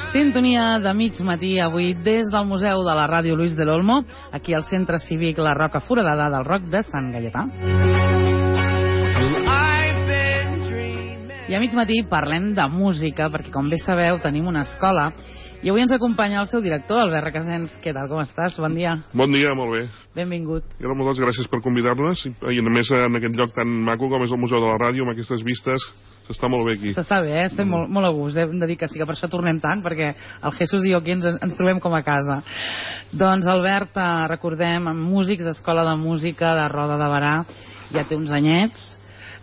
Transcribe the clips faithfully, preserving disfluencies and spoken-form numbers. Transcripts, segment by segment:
Sintonia de mig matí avui des del Museu de la Ràdio Luis del Olmo, aquí al Centre Cívic La Roca Foradada del Roc de Sant Gaietà. I a mig matí parlem de música, perquè com bé sabeu tenim una escola i avui ens acompanya el seu director, Albert Requesens. Què tal, com estàs? Bon dia. Bon dia, molt bé. Benvingut. I ara moltes gràcies per convidar-nos, i a més en aquest lloc tan maco com és el Museu de la Ràdio, amb aquestes vistes, s'està molt bé aquí. S'està bé, eh? Estem mm. molt, molt a gust, hem de dir que sí, que per això tornem tant, perquè el Jesús i jo aquí ens, ens trobem com a casa. Doncs Albert, eh, recordem, músics, Escola de Música de Roda de Berà, ja té uns anyets,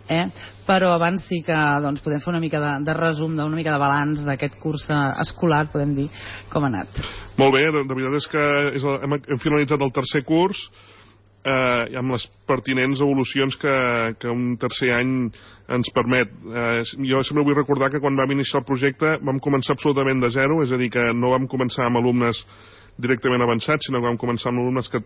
eh? Però abans sí que doncs, podem fer una mica de, de resum, una mica de balanç d'aquest curs escolar, podem dir, com ha anat. Molt bé, de veritat és que és el, hem, hem finalitzat el tercer curs eh, amb les pertinents evolucions que, que un tercer any ens permet. Eh, jo sempre vull recordar que quan vam iniciar el projecte vam començar absolutament de zero, és a dir, que no vam començar amb alumnes directament avançats, sinó que vam començar amb alumnes que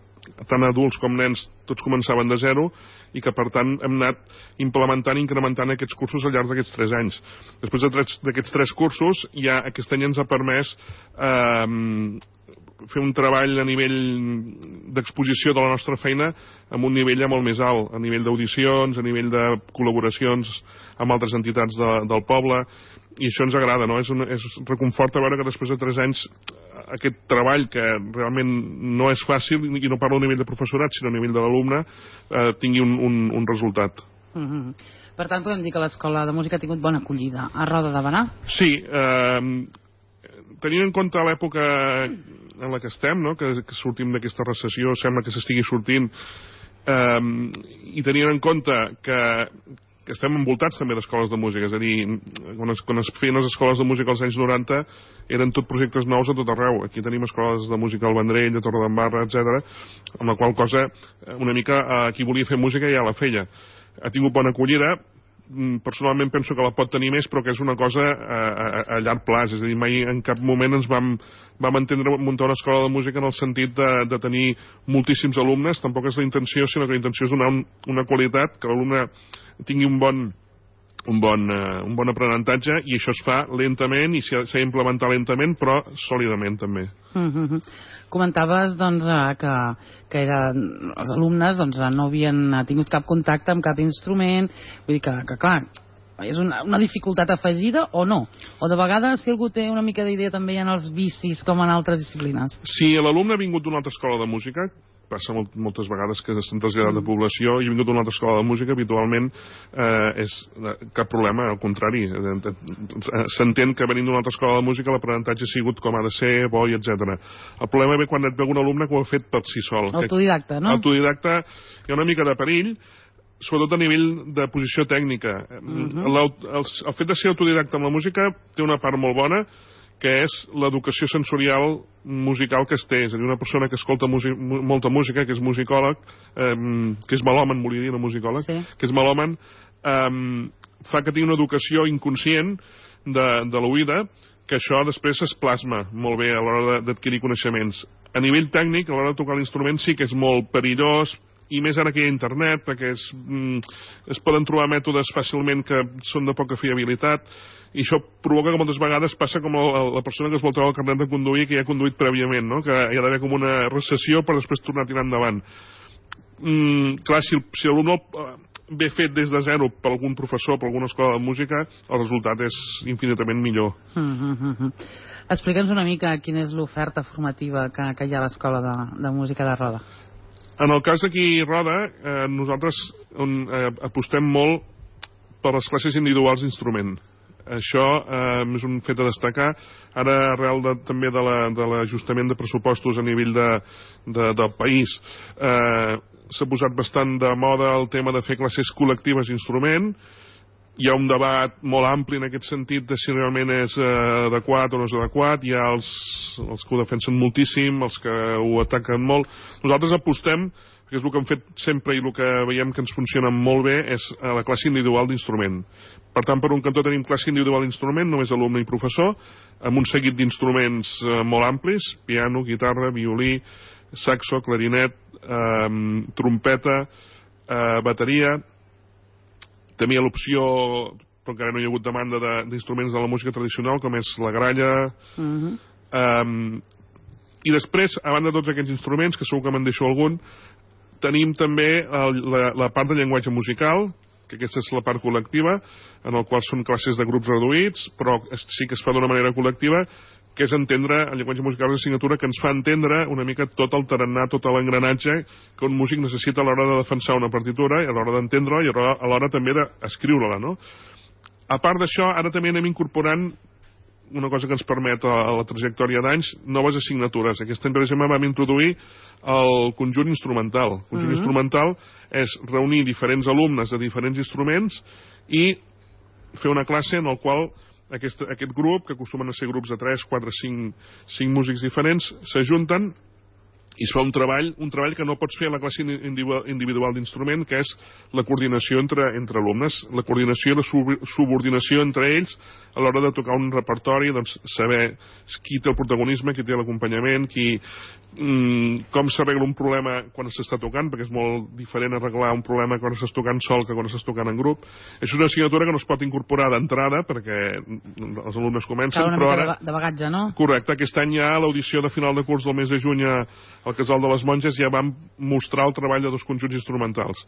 tant adults com nens tots començaven de zero i que per tant hem anat implementant i incrementant aquests cursos al llarg d'aquests tres anys. Després d'aquests tres cursos ja aquest any ens ha permès eh, fer un treball a nivell d'exposició de la nostra feina amb un nivell ja molt més alt, a nivell d'audicions, a nivell de col·laboracions amb altres entitats de, del poble, i això ens agrada, no? És, un, és reconforta veure que després de tres anys aquest treball, que realment no és fàcil, i no parlo a nivell de professorat, sinó a nivell de l'alumne, eh, tingui un, un, un resultat. Mm-hmm. Per tant, podem dir que l'Escola de Música ha tingut bona acollida a Roda de Berà? Sí, eh, tenint en compte l'època en la que estem, no? que, que sortim d'aquesta recessió, sembla que s'estigui sortint, eh, i tenint en compte que que estem envoltats també d'escoles de música, és a dir, quan es, quan es feien les escoles de música als anys noranta eren tot projectes nous a tot arreu. Aquí tenim escoles de música al Vendrell, de Torredembarra, etcètera, amb la qual cosa una mica eh, qui volia fer música ja la feia. Ha tingut bona acollida, personalment penso que la pot tenir més, però que és una cosa a, a, a llarg plaç, és a dir, mai en cap moment ens vam, vam entendre muntar una escola de música en el sentit de, de tenir moltíssims alumnes, tampoc és la intenció, sinó que la intenció és donar un, una qualitat, que l'alumne tingui un bon, un, bon, uh, un bon aprenentatge, i això es fa lentament i s'ha d'implementar lentament, però sòlidament també. Mm-hmm. Comentaves doncs, que, que eren, els alumnes doncs, no havien tingut cap contacte amb cap instrument, vull dir que, que clar, és una, una dificultat afegida o no? O de vegades si algú té una mica d'idea també hi ha els vicis com en altres disciplines? Si l'alumne ha vingut d'una altra escola de música, passa molt, moltes vegades que s'han traslladat de població i ha vingut d'una altra escola de música, habitualment eh, és cap problema, al contrari, s'entén que venint d'una altra escola de música l'aprenentatge ha sigut com ha de ser, bo i etcètera. El problema ve quan et ve un alumne que ho ha fet per si sol. Autodidacta, no? Autodidacta, hi ha una mica de perill, sobretot a nivell de posició tècnica. Uh-huh. el, el, el fet de ser autodidacta amb la música té una part molt bona, que és l'educació sensorial musical que es té, és a dir, una persona que escolta música, molta música, que és musicòleg, eh, que és melòman, volia dir, no musicòleg, sí. que és melòman, eh, fa que tingui una educació inconscient de, de l'oïda, que això després es plasma molt bé a l'hora d'adquirir coneixements. A nivell tècnic, a l'hora de tocar l'instrument sí que és molt perillós, i més ara que hi ha internet, perquè es, mm, es poden trobar mètodes fàcilment que són de poca fiabilitat, i això provoca que moltes vegades passa com la, la persona que es vol treure el carnet de conduir, que ja ha conduït prèviament, no? Que hi ha d'haver com una recessió per després tornar a tirar endavant. Mm, clar, si, si l'alumne ve fet des de zero per algun professor, per alguna escola de música, el resultat és infinitament millor. Mm-hmm. Explica'ns una mica quina és l'oferta formativa que, que hi ha a l'Escola de, de Música de Roda. En el cas d'aquí Roda, eh, nosaltres on, eh, apostem molt per les classes individuals d'instrument. Això eh, és un fet a destacar. Ara, arrel de, també de l'ajustament la, de, de pressupostos a nivell de, de, del país, eh, s'ha posat bastant de moda el tema de fer classes col·lectives d'instrument. Hi ha un debat molt ampli en aquest sentit de si realment és eh, adequat o no és adequat. Hi ha els, els que ho defensen moltíssim, els que ho ataquen molt. Nosaltres apostem, que és el que hem fet sempre i el que veiem que ens funciona molt bé, és la classe individual d'instrument. Per tant, per un cantó tenim classe individual d'instrument, només alumne i professor, amb un seguit d'instruments eh, molt amplis, piano, guitarra, violí, saxo, clarinet, eh, trompeta, eh, bateria. També hi ha l'opció però encara no hi ha hagut demanda d'instruments de, de la música tradicional, com és la gralla. Uh-huh. um, I després, a banda de tots aquests instruments, que segur que me'n deixo algun, tenim també el, la, la part de llenguatge musical, que aquesta és la part col·lectiva, en el qual són classes de grups reduïts, però sí que es fa d'una manera col·lectiva, que és entendre el llenguatge musical d'assignatura, que ens fa entendre una mica tot el tarannà, tot l'engranatge que un músic necessita a l'hora de defensar una partitura, i a l'hora d'entendre-la, i a l'hora també d'escriure-la, no? A part d'això, ara també anem incorporant una cosa que ens permet a la trajectòria d'anys, noves assignatures. Aquest any, per exemple, vam introduir el conjunt instrumental. El conjunt uh-huh. instrumental és reunir diferents alumnes de diferents instruments i fer una classe en el qual aquest, aquest grup, que acostumen a ser grups de tres, quatre, cinc, cinc músics diferents, s'ajunten i es fa un treball, un treball que no pots fer a la classe individual d'instrument, que és la coordinació entre, entre alumnes, la coordinació i la subordinació entre ells a l'hora de tocar un repertori, doncs saber qui té el protagonisme, qui té l'acompanyament, qui, mm, com s'arregla un problema quan s'està tocant, perquè és molt diferent arreglar un problema quan s'estàs tocant sol que quan s'estàs tocant en grup. És una assignatura que no es pot incorporar d'entrada, perquè els alumnes comencen, cal una però mica ara... de bagatge, no? Correcte, aquest any ja l'audició de final de curs del mes de juny al Casal de les Monges ja vam mostrar el treball de dos conjunts instrumentals.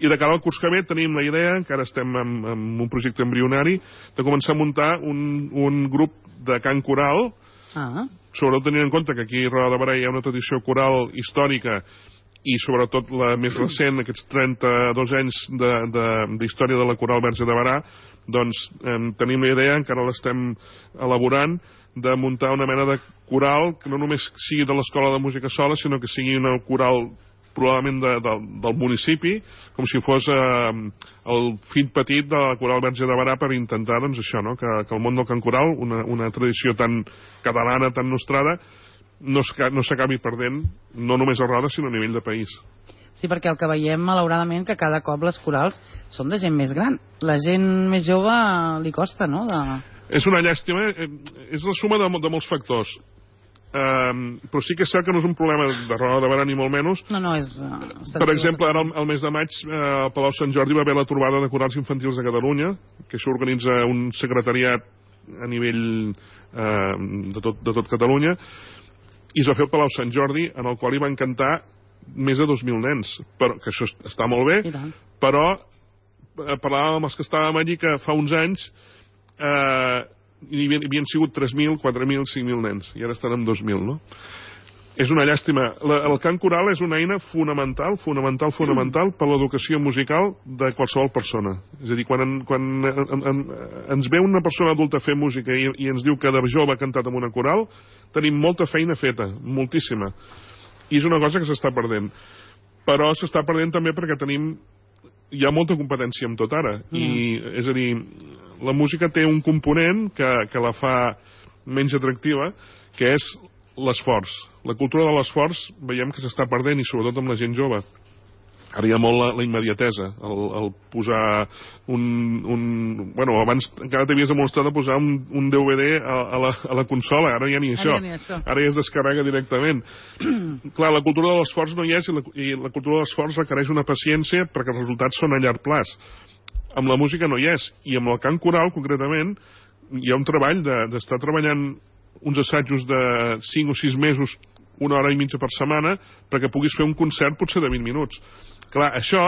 I de cara al curs que ve tenim la idea, encara estem en, en un projecte embrionari, de començar a muntar un, un grup de cant coral, ah. sobretot tenint en compte que aquí a Roda de Berà hi ha una tradició coral històrica i sobretot la més recent, aquests trenta-dos anys d'història de, de, de la coral Verge de Berà, doncs eh, tenim la idea, encara l'estem elaborant, de muntar una mena de coral que no només sigui de l'Escola de Música sola, sinó que sigui una coral probablement de, de, del municipi, com si fos eh, el fill petit de la coral Verge de Berà, per intentar, doncs, això, no? que, que el món del cant coral, una, una tradició tan catalana, tan nostrada, no s'acabi perdent, no només a Roda, sinó a nivell de país. Sí, perquè el que veiem, malauradament, que cada cop les corals són de gent més gran. La gent més jove li costa, no? De... És una llàstima, és la suma de, de molts factors. Um, però sí que és cert que no és un problema de Roda de Berà, ni molt menys. No, no, és... Uh, per exemple, ara al mes de maig uh, al Palau Sant Jordi va haver la trobada de corals infantils de Catalunya, que això organitza un secretariat a nivell uh, de, tot, de tot Catalunya, i es va fer el Palau Sant Jordi, en el qual hi van cantar més de dos mil nens, però, que això està molt bé, però eh, parlàvem amb els que estàvem allí que fa uns anys eh, hi havien, hi havien sigut tres mil, quatre mil, cinc mil nens, i ara estan en dos mil, no? És una llàstima. La, el cant coral és una eina fonamental, fonamental, fonamental per l'educació musical de qualsevol persona. És a dir, quan, en, quan en, en, ens ve una persona adulta a fer música i, i ens diu que de jove ha cantat en una coral, tenim molta feina feta, moltíssima. I és una cosa que s'està perdent. Però s'està perdent també perquè tenim... Hi ha molta competència amb tot ara. Mm. I, és a dir, la música té un component que, que la fa menys atractiva, que és l'esforç. La cultura de l'esforç veiem que s'està perdent, i sobretot amb la gent jove. Ara hi ha molt la, la immediatesa, el, el posar un, un... Bueno, abans encara t'havies demostrat de posar un, un D V D a, a, la, a la consola, ara ja ni això. Ara, això. Ara ja es descarrega directament. Clar, la cultura de l'esforç no hi és, i la, i la cultura de l'esforç requereix una paciència perquè els resultats són a llarg plaç. Amb la música no hi és, i amb el cant coral, concretament, hi ha un treball d'estar de, treballant uns assajos de cinc o sis mesos, una hora i mitja per setmana, perquè puguis fer un concert potser de vint minuts. Clar, això,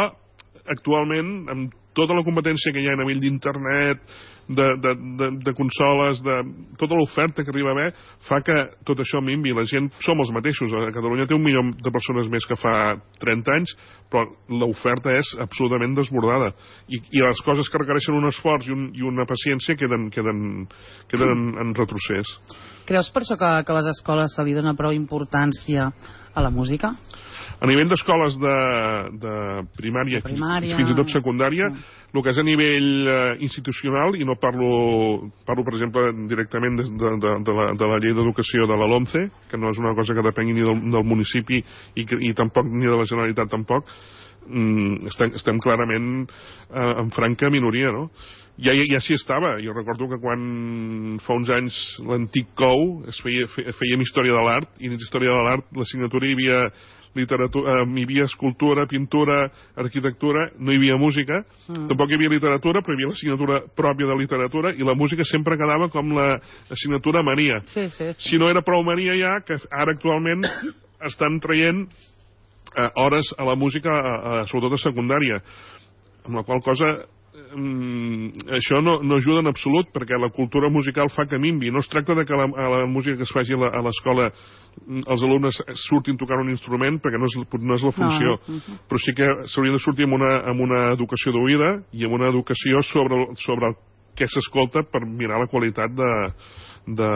actualment, amb tota la competència que hi ha a nivell d'internet, de, de, de, de consoles, de tota l'oferta que arriba a haver, fa que tot això minvi. La gent som els mateixos. A Catalunya té un milió de persones més que fa trenta anys, però l'oferta és absolutament desbordada. I, i les coses que requereixen un esforç i, un, i una paciència queden, queden, queden en, en retrocés. Creus per això que, que a les escoles se li dona prou importància a la música? A nivell d'escoles de, de primària, de primària, fins i tot secundària, sí. El que és a nivell eh, institucional, i no parlo, parlo per exemple, directament de, de, de, de, la, de la llei d'educació de la LOMCE, que no és una cosa que depengui ni del, del municipi i, i tampoc ni de la Generalitat tampoc, mm, estem, estem clarament eh, en franca minoria, no? Ja, ja, ja s'hi estava. Jo recordo que quan fa uns anys l'antic C O U es feia, fe, fèiem història de l'art, i en història de l'art l'assignatura hi havia literatura, eh, hi havia escultura, pintura, arquitectura, no hi havia música, mm. tampoc hi havia literatura, però hi havia l'assignatura pròpia de literatura, i la música sempre quedava com l'assignatura mania. Sí, sí, sí. Si no era prou mania ja, que ara actualment estan traient eh, hores a la música, a, a, sobretot a secundària, amb la qual cosa mm, això no, no ajuda en absolut, perquè la cultura musical fa que minvi. No es tracta de que la, a la música que es faci a l'escola els alumnes surtin tocant un instrument, perquè no és, no és la funció, no. Uh-huh. Però sí que s'hauria de sortir amb una, amb una educació d'oïda i amb una educació sobre, sobre què s'escolta per mirar la qualitat de, de,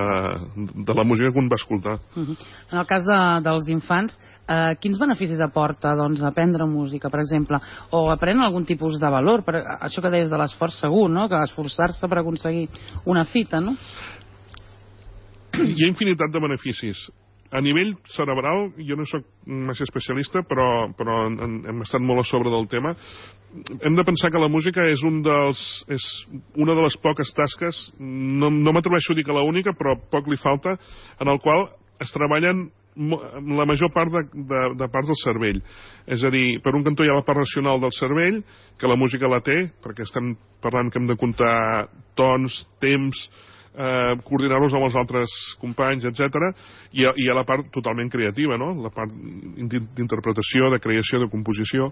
de la música que un va escoltar. Uh-huh. En el cas de, dels infants, eh, quins beneficis aporta doncs, aprendre música, per exemple, o aprendre algun tipus de valor, per això que deies de l'esforç segur, no? Que esforçar-se per aconseguir una fita, no? Hi ha infinitat de beneficis. A nivell cerebral, jo no sóc massa especialista, però, però en, hem estat molt a sobre del tema. Hem de pensar que la música és, un dels, és una de les poques tasques, no, no m'atreveixo a dir que l'única, però poc li falta, en el qual es treballen la major part de, de, de parts del cervell. És a dir, per un cantó hi ha la part racional del cervell, que la música la té, perquè estem parlant que hem de comptar tons, temps, eh, coordinar-los amb els altres companys, etcètera, i hi ha la part totalment creativa, no? La part d'interpretació, de creació, de composició.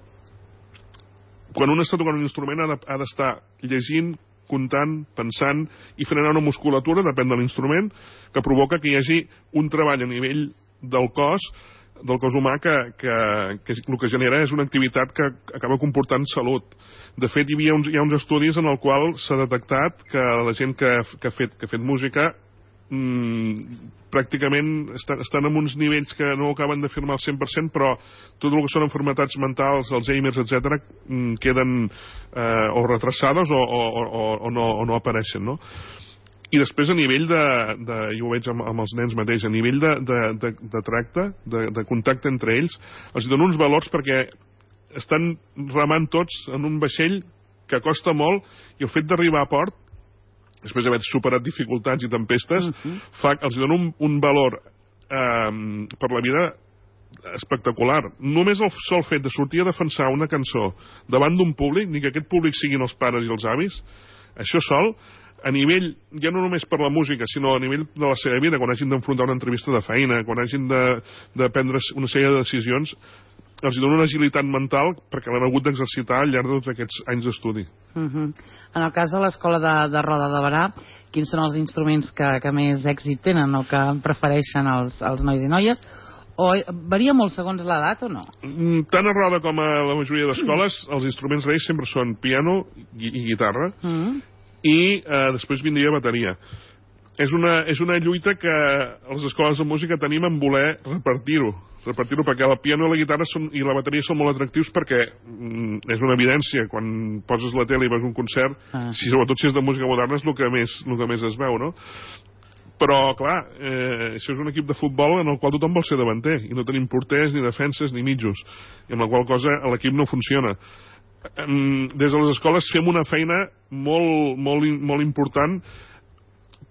Quan un està tocant un instrument ha d'estar llegint, comptant, pensant i frenant una musculatura, depèn de l'instrument, que provoca que hi hagi un treball a nivell del cos, del cos humà, que, que, que el que genera és una activitat que acaba comportant salut. De fet, hi havia uns, hi ha uns estudis en el qual s'ha detectat que la gent que, que, ha, fet, que ha fet música mmm, pràcticament estan, estan en uns nivells que no acaben de firmar al cent per cent, però tot el que són enfermetats mentals, Alzheimer, etcètera, queden eh, o retrasades o, o, o, o, no, o no apareixen, no? I després a nivell de, de jo ho veig amb, amb els nens mateix, a nivell de, de, de, de tracte, de, de contacte entre ells, els dono uns valors perquè estan remant tots en un vaixell que costa molt, i el fet d'arribar a port, després d'haver superat dificultats i tempestes, uh-huh. fa, els dono un, un valor eh, per la vida espectacular. Només el sol fet de sortir a defensar una cançó davant d'un públic, ni que aquest públic siguin els pares i els avis, això sol, a nivell, ja no només per la música, sinó a nivell de la seva vida, quan hagin d'enfrontar una entrevista de feina, quan hagin de, de prendre una sèrie de decisions, els dona una agilitat mental perquè l'han hagut d'exercitar al llarg de tots aquests anys d'estudi. Uh-huh. En el cas de l'escola de, de Roda de Berà, quins són els instruments que, que més èxit tenen o que prefereixen els, els nois i noies? O varia molt segons l'edat o no? Tant a Roda com a la majoria d'escoles, els instruments reis sempre són piano i, i guitarra, uh-huh. i eh, després vindria bateria. És una, és una lluita que a les escoles de música tenim en voler repartir-ho, repartir-ho perquè el piano i la guitarra són, i la bateria són molt atractius perquè mm, és una evidència, quan poses la tele i veus un concert, ah. si, sobretot si és de música moderna, és el que més, el que més es veu, no? Però, clar, eh, això és un equip de futbol en el qual tothom vol ser davanter, i no tenim porters, ni defenses, ni mitjos, i amb la qual cosa l'equip no funciona. Des de les escoles fem una feina molt, molt, molt important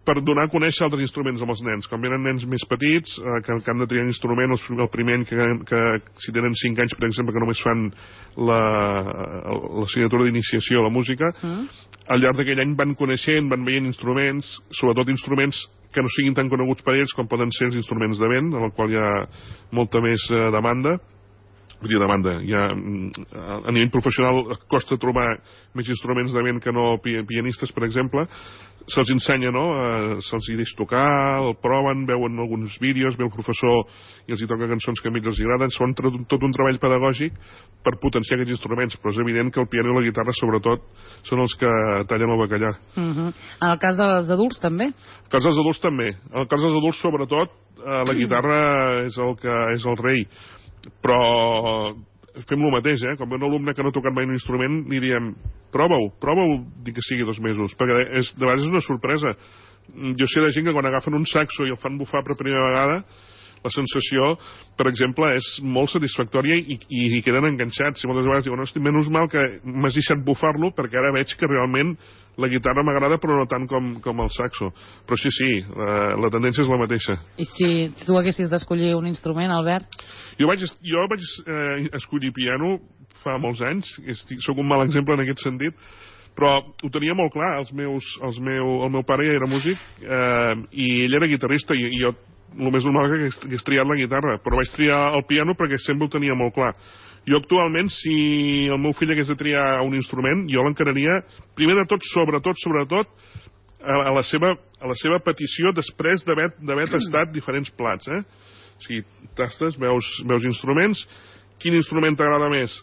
per donar a conèixer altres instruments amb els nens. Quan venen nens més petits, eh, que, que han de triar un instrument, el primer any que, que si tenen cinc anys, per exemple, que només fan l'assignatura d'iniciació a la música, mm. al llarg d'aquell any van coneixent, van veient instruments, sobretot instruments que no siguin tan coneguts per ells com poden ser els instruments de vent, en el qual hi ha molta més eh, demanda. Vull dir, demanda. Ja, a nivell professional costa trobar més instruments de vent que no pianistes, per exemple. Se'ls ensenya, no? Se'ls hi deix tocar, el proven, veuen alguns vídeos, ve el professor i els hi toca cançons que a ells els agraden. Són tot un treball pedagògic per potenciar aquests instruments, però és evident que el piano i la guitarra, sobretot, són els que tallen el bacallà. Uh-huh. En el cas dels adults, també? En el cas dels adults, també. En el cas dels adults, sobretot, la guitarra és el que és el rei. Però fem el mateix, eh? Quan ve un alumne que no ha tocat mai un instrument, li diem, prova-ho, prova-ho, dic que sigui dos mesos, perquè és, de vegades és una sorpresa. Jo sé de gent que quan agafen un saxo i el fan bufar per primera vegada, la sensació, per exemple, és molt satisfactòria i, i, i queden enganxats. I moltes vegades diuen, hosti, menys mal que m'has deixat bufar-lo, perquè ara veig que realment la guitarra m'agrada, però no tant com, com el saxo. Però sí, sí, la, la tendència és la mateixa. I si tu haguessis d'escollir un instrument, Albert? Jo vaig, jo vaig eh, escollir piano fa molts anys, estic, soc un mal exemple en aquest sentit, però ho tenia molt clar, els meus, els meu, el meu pare ja era músic eh, i ell era guitarrista i, i jo el més normal que hagués triat la guitarra, però vaig triar el piano perquè sempre ho tenia molt clar. Jo actualment, si el meu fill hagués de triar un instrument, jo l'encararia primer de tot, sobretot, sobretot a, a, la, seva, a la seva petició després d'haver tastat diferents plats, eh? O sigui, tastes, veus, veus instruments, quin instrument t'agrada més,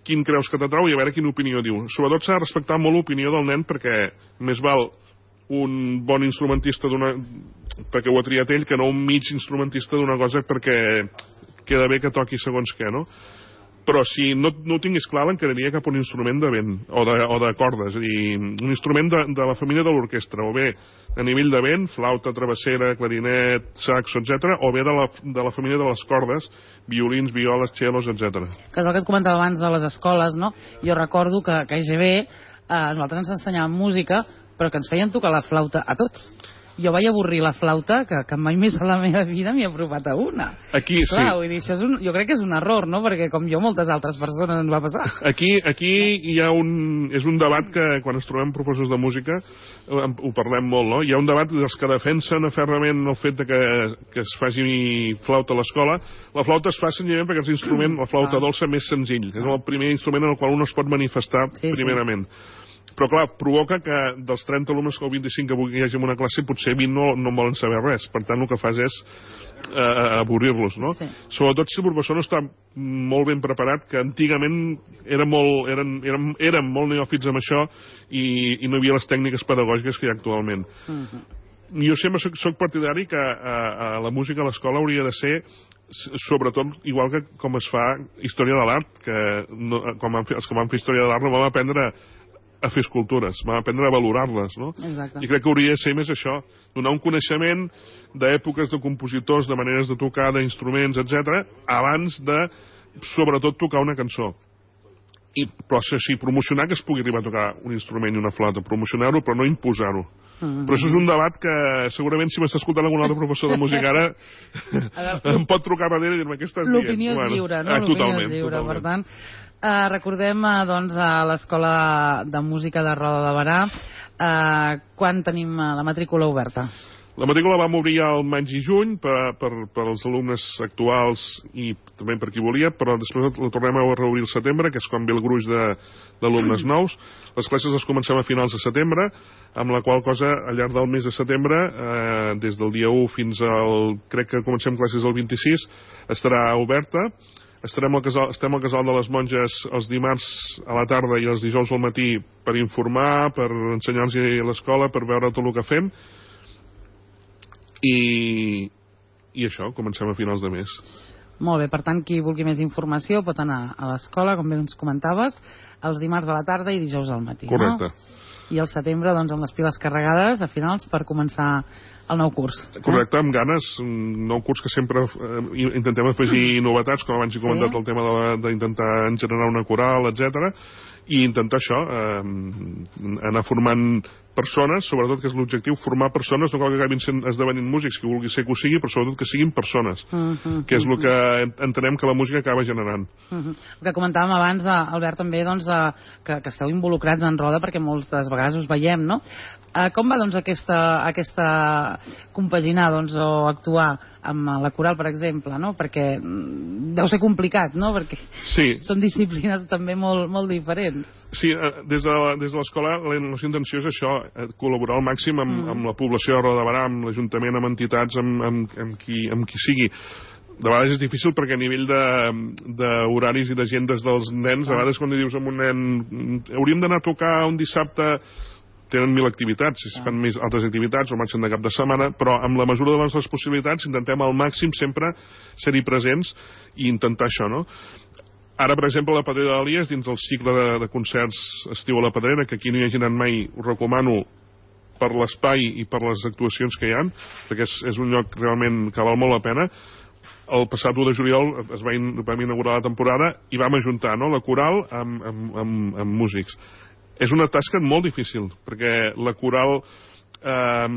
quin creus que t'atrau i a veure quina opinió diu. Sobretot s'ha de respectar molt l'opinió del nen perquè més val un bon instrumentista d'una perquè ho ha triat ell que no un mig instrumentista d'una cosa perquè queda bé que toqui segons què, no? Però si no, no ho tingués clar l'encararia cap a un instrument de vent o de, o de cordes, és a dir, un instrument de, de la família de l'orquestra, o bé a nivell de vent, flauta, travessera, clarinet, saxo, etcètera, o bé de la, de la família de les cordes, violins, violes, cellos, etcètera. Que és el que et comentava abans de les escoles, no? Jo recordo que, que a I G B eh, nosaltres ens ensenyàvem música, però que ens feien tocar la flauta a tots. Jo vaig avorrir la flauta que, que mai més a la meva vida m'hi he apropat a una. Aquí, clar, sí. Vull dir, això és un, jo crec que és un error, no? Perquè com jo, moltes altres persones ens va passar. Aquí, aquí hi ha un... És un debat que quan ens trobem professors de música ho parlem molt, no? Hi ha un debat dels que defensen aferrament el fet de que, que es faci flauta a l'escola. La flauta es fa senzillament perquè és l'instrument, la flauta dolça, més senzill. És el primer instrument en el qual un es pot manifestar sí, primerament. Sí. Però clar, provoca que dels trenta alumnes o vint-i-cinc que hi hagi en una classe potser vint no, no en volen saber res, per tant el que fas és eh, avorrir-los, no? Sí. Sobretot si el professor no està molt ben preparat, que antigament era molt, eren, eren, eren molt neòfits amb això i, i no hi havia les tècniques pedagògiques que hi ha actualment. Uh -huh. Jo sempre soc, soc partidari que a, a la música a l'escola hauria de ser sobretot igual que com es fa història de l'art, que no, com han, els que van fer història de l'art no vam aprendre a fer escultures, vam aprendre a valorar-les, no? Exacte. I crec que hauria de ser més això, donar un coneixement d'èpoques de compositors, de maneres de tocar, d'instruments, etcètera, abans de, sobretot, tocar una cançó. I, però sí, promocionar que es pugui arribar a tocar un instrument i una flauta, promocionar-ho, però no imposar-ho. Mm-hmm. Però això és un debat que segurament si m'està escoltant algun altre professor de música ara em pot trucar a darrere i dir-me què estàs dient. L'opinió és bueno, lliure, no? Ah, L'opinió totalment, és lliure, totalment. per tant... Uh, recordem uh, doncs, a l'Escola de Música de Roda de Berà uh, quan tenim uh, la matrícula oberta? La matrícula vam obrir al maig i juny per, per, per als alumnes actuals i també per qui volia, però després la tornem a reobrir al setembre, que és quan ve el gruix d'alumnes mm. nous. Les classes les comencem a finals de setembre, amb la qual cosa al llarg del mes de setembre, eh, des del dia u fins al... crec que comencem classes el vint-i-sis, estarà oberta. Estarem al casal, estem al Casal de les Monges els dimarts a la tarda i els dijous al matí per informar, per ensenyar-los a l'escola, per veure tot el que fem. I, i això, comencem a finals de mes. Molt bé, per tant, qui vulgui més informació pot anar a l'escola, com bé ens comentaves, els dimarts a la tarda i dijous al matí. Correcte. No? I al setembre, doncs, amb les piles carregades a finals per començar el nou curs. Correcte, amb ganes, un nou curs que sempre eh, intentem afegir novetats, com abans he comentat sí? el tema d'intentar generar una coral, etcètera, i intentar això, eh, anar formant persones, sobretot que és l'objectiu, formar persones, no cal que acabin sent, esdevenint músics, que vulgui ser que ho sigui, però sobretot que siguin persones, uh -huh, que és el que entenem que la música acaba generant. Uh -huh. El que comentàvem abans, Albert, també, doncs, que, que esteu involucrats en Roda, perquè moltes vegades us veiem, no? Uh, com va, doncs, aquesta, aquesta compaginar, doncs, o actuar amb la coral, per exemple, no? Perquè deu ser complicat, no? Perquè sí. són disciplines també molt, molt diferents. Sí, des de, des de l'escola la nostra intenció és això, col·laborar al màxim amb, mm. amb la població de Roda de Berà, amb l'Ajuntament, amb entitats, amb, amb, amb, qui, amb qui sigui. De vegades és difícil perquè a nivell d'horaris i d'agendes dels nens, a vegades quan li dius a un nen hauríem d'anar a tocar un dissabte, tenen mil activitats, si es fan més altres activitats o marxen de cap de setmana, però amb la mesura de les nostres possibilitats intentem al màxim sempre ser-hi presents i intentar això, no? Ara, per exemple, la Pedrera d'Elies, dins del cicle de, de concerts estiu a la Pedrera, que aquí no hi hagi anat mai, ho recomano per l'espai i per les actuacions que hi ha, perquè és, és un lloc realment que val molt la pena. el passat u de juliol es va in, vam inaugurar la temporada i vam ajuntar, no?, la coral amb, amb, amb, amb músics. És una tasca molt difícil, perquè la coral, eh,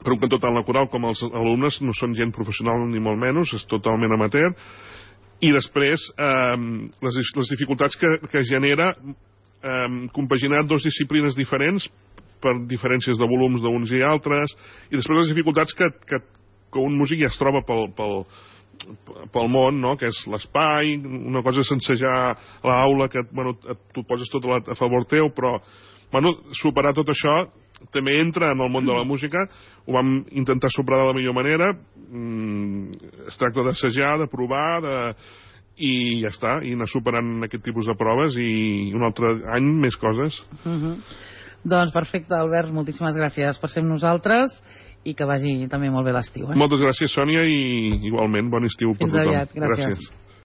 per un cantó, tant la coral com els alumnes no són gent professional ni molt menys, és totalment amateur, i després eh, les, les dificultats que, que genera eh, compaginar dues disciplines diferents per diferències de volums d'uns i altres, i després les dificultats que, que, que un músic ja es troba pel, pel, pel món, no?, que és l'espai, una cosa és ensejar l'aula, que bueno, tu poses tot a favor teu, però bueno, superar tot això també entra en el món de la música. Ho vam intentar superar de la millor manera. Mm, es tracta d'assajar, de provar, de... i ja està, i anar superant aquest tipus de proves, i un altre any més coses. Uh-huh. Doncs perfecte, Albert, moltíssimes gràcies per ser amb nosaltres i que vagi també molt bé l'estiu. Eh? Moltes gràcies, Sònia, i igualment bon estiu per tothom. Fins aviat, gràcies. Gràcies.